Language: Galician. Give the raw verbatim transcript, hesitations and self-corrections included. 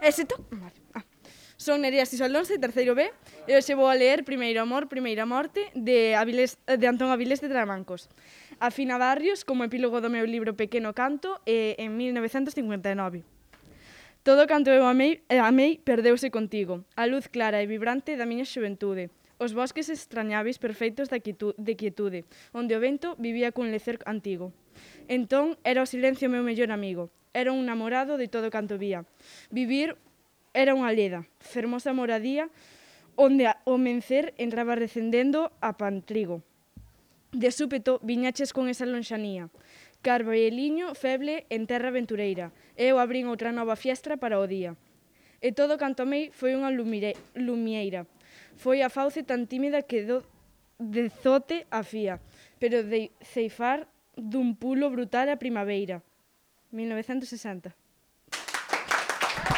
Éxito. Vale. Ah. Son Nerea Sisalonso, terceiro B, e hoxe vou a ler Primeiro amor, primeira morte, de, Avilés, de Antón Avilés de Tramancos. A Fina Barrios, como epílogo do meu libro Pequeno Canto, e en mil novecentos cincuenta e nove. Todo canto eu amei, amei perdeuse contigo, a luz clara e vibrante da miña xuventude, os bosques extrañáveis perfeitos de quietude, onde o vento vivía cun lecer antigo. Entón era o silencio meu mellor amigo, era un namorado de todo canto vía. Vivir era unha leda, fermosa moradía, onde o mencer entraba recendendo a pantrigo. De súpeto viñaches con esa lonxanía, carballiño feble en terra aventureira, e eu abrín outra nova fiestra para o día. E todo canto amei foi unha lumieira, foi a fauce tan tímida que do de zote a fía, pero de ceifar dun pulo brutal a primaveira. mil novecentos sesenta.